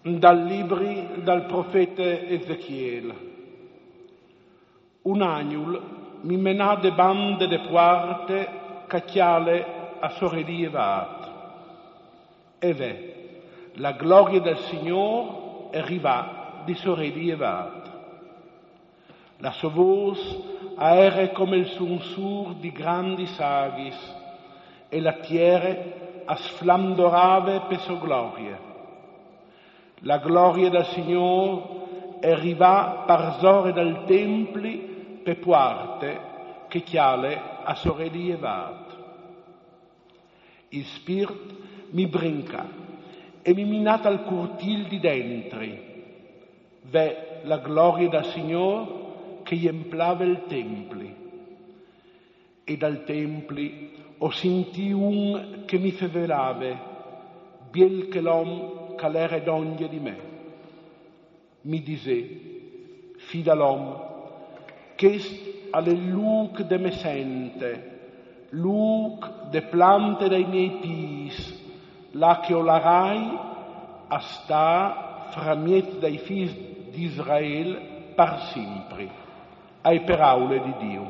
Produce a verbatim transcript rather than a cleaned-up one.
Dal libri dal profete Ezechiel. Un agnul mi menà de bande de puarte ca cjale a sorelì evaat. E ve, la glorie dal Signôr e rivà di sorelì evaat. La sô vôs a ere come il sunsûr di grandis aghis, e la tiere a sflandorave pe sô glorie. La glorie dal Signôr e rivà parsore dal templi pe puarte che cjale a sorelì evaat. Il Spirt mi brincà e mi menà tal curtîl di dentri. Ve, la glorie dal Signôr che jemplave il templi. E dal templi o sintì un che mi fevelave, biel che l'om ch'al ere dongje di me. Mi disè: Fi dal om, chest al è il lûc de me sente, lûc de plante dai miei pîts, là che o larai a stâ framieç dai fîs di Israel par simpri. Ae peraule di Diu.